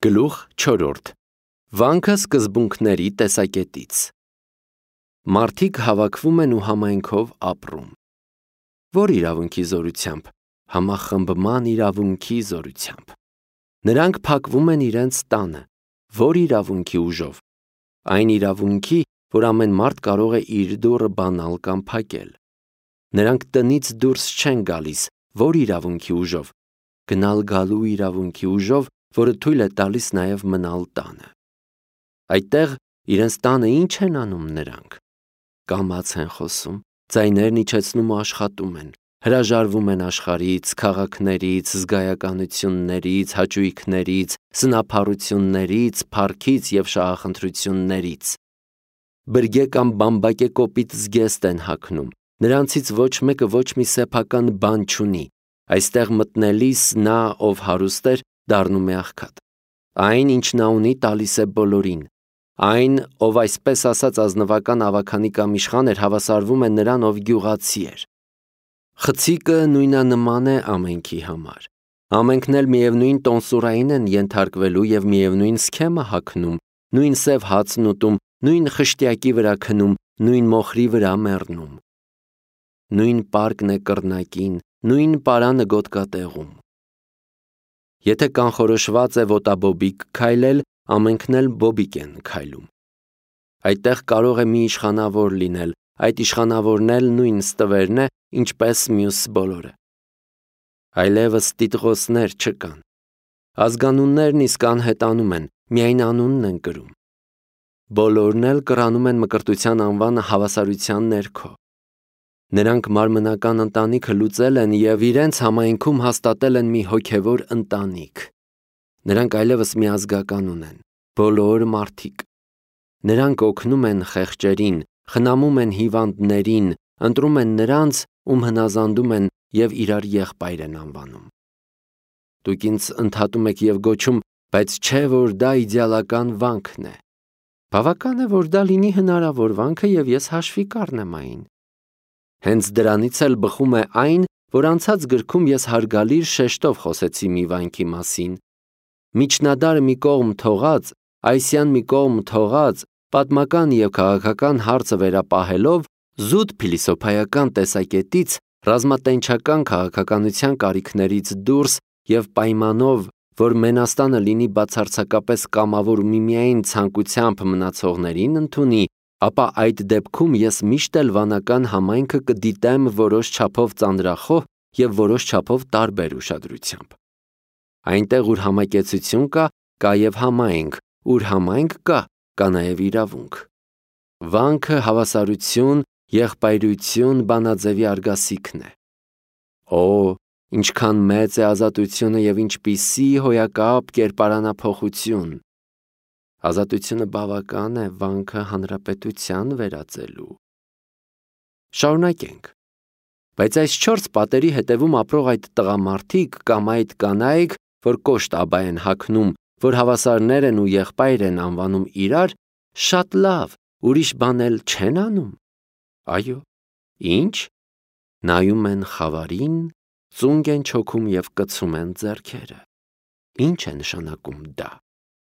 Գլուխ 4. Վանքը սկզբունքների տեսակետից։ Մարդիկ հավաքվում են ու համայնքով ապրում։ Որ իրավունքի զորությամբ։ Համախմբման իրավունքի զորությամբ։ Նրանք փակվում են իրենց տանը։ Որ իրավունքի ուժով։ Այն իրավունքի, որ ամեն մարդ կարող է իր դուռը բանալ կամ փակել։ Նրանք տնից դուրս չեն գալիս։ Որ իրավունքի ուժով։ Գնալ գալու իրավունքի ուժով, որը թույլ է տալիս նաև մնալ տանը։ Այդտեղ իրենց տանը ինչ են անում նրանք։ Կամաց են խոսում, ձայներն իջեցնում ու աշխատում են, հրաժարվում են աշխարհից, քաղաքներից, զգայականություններից, հաճույքներից, սնափառություններից, փառքից և շահախնդրություններից։ Բրգե կամ բամբակե կոպիտ զգեստ են հագնում, նրանցից ոչ մեկը ոչ մի սեփական բան չունի։ Այստեղ մտնելիս նա, ով հարուստ էր, դառնում է աղքատ։ Այն, ինչ նա ունի, տալիս է բոլորին։ Այն, ով այսպես ասած ազնվական ավագանի կամ իշխան էր, հավասարվում է նրան, ով գյուղացի էր։ Խցիկը նույնանման է ամենքի համար։ Ամենքն էլ միևնույն տոնսուրային են ենթարկվելու և միևնույն սքեմը հագնում, նույն սև հացն ուտում, նույն խշտյակի վրա քնում, նույն մոխրի վրա մեռնում։ Նույն պարկն է կռնակին, նույն պարանը գոտկատեղում։ Եթե կանխորոշված է ոտաբոբիկ քայլել, ամենքն էլ բոբիկ են քայլում։ Այդտեղ կարող է մի իշխանավոր լինել, այդ իշխանավորն էլ նույն ստվերն է, ինչպես մյուս բոլորը։ Այլևս տիտղոսներ չկան։ Ազգանուններն իսկ անհետանում են, միայն անունն են կրում։ Բոլորն էլ կռանում են մկրտության անվանը հավասարության ներքո։ Նրանք մարմնական ընտանիքը լուծել են և իրենց համայնքում հաստատել են մի հոգևոր ընտանիք։ Նրանք այլևս միազգական ունեն, բոլոր մարդիկ։ Նրանք օգնում են խեղճերին, խնամում են հիվանդներին, ընտրում են նրանց, ում հնազանդում են և իրար եղբայր են անվանում։ Դուք ինձ ընդհատում եք և գոչում, բայց չէ, որ դա իդեալական վանքն է։ Բավական է, որ դա լինի հնարավոր վանքը և ես հաշվի կառնեմ այն։ Հենց դրանից էլ բխում է այն, որ անցած գրքում ես հարգալիր շեշտով խոսեցի մի վանքի մասին։ Միջնադարը մի կողմ թողած, այսյան մի կողմ թողած, պատմական և քաղաքական հարցը վերապահելով, զուտ փիլիսոփայական տեսակետից, ռազմատենչական քաղաքականության կարիքներից դուրս և պայմանով, որ Մենաստանը լինի բացարձակապես կամավոր ու միմիայն ցանկությամբ մնացողներին ընդունի, ապա այդ դեպքում ես միշտ էլ վանական համայնքը կդիտեմ որոշ չափով ծանրախոհ և որոշ չափով տարբեր ուշադրությամբ։ Այնտեղ, ուր համակեցություն կա, կա և համայնք, ուր համայնք կա, կա նաև իրավունք։ Վանքը հավասարություն, եղբայրություն բանաձևի արգասիքն է։ Օ, ինչքան մեծ է ազատությունը և ինչպիսի հոյակապ կերպարանափոխություն։ Ազատությունը բավական է վանքը հանրապետության վերածելու։ Շարունակենք։ Բայց այս 4 պատերի հետևում ապրող այդ տղամարդիկ կամ այդ կանայք, որ կոշտ աբա են հագնում, որ հավասարներ են ու եղբայր են անվանում իրար, շատ լավ, ուրիշ բան էլ չեն անում։ Այո, ինչ։ Նայում են խավարին, ծունկ են չոքում և կցում են ձեռքերը։ Ինչ է նշանակում դա։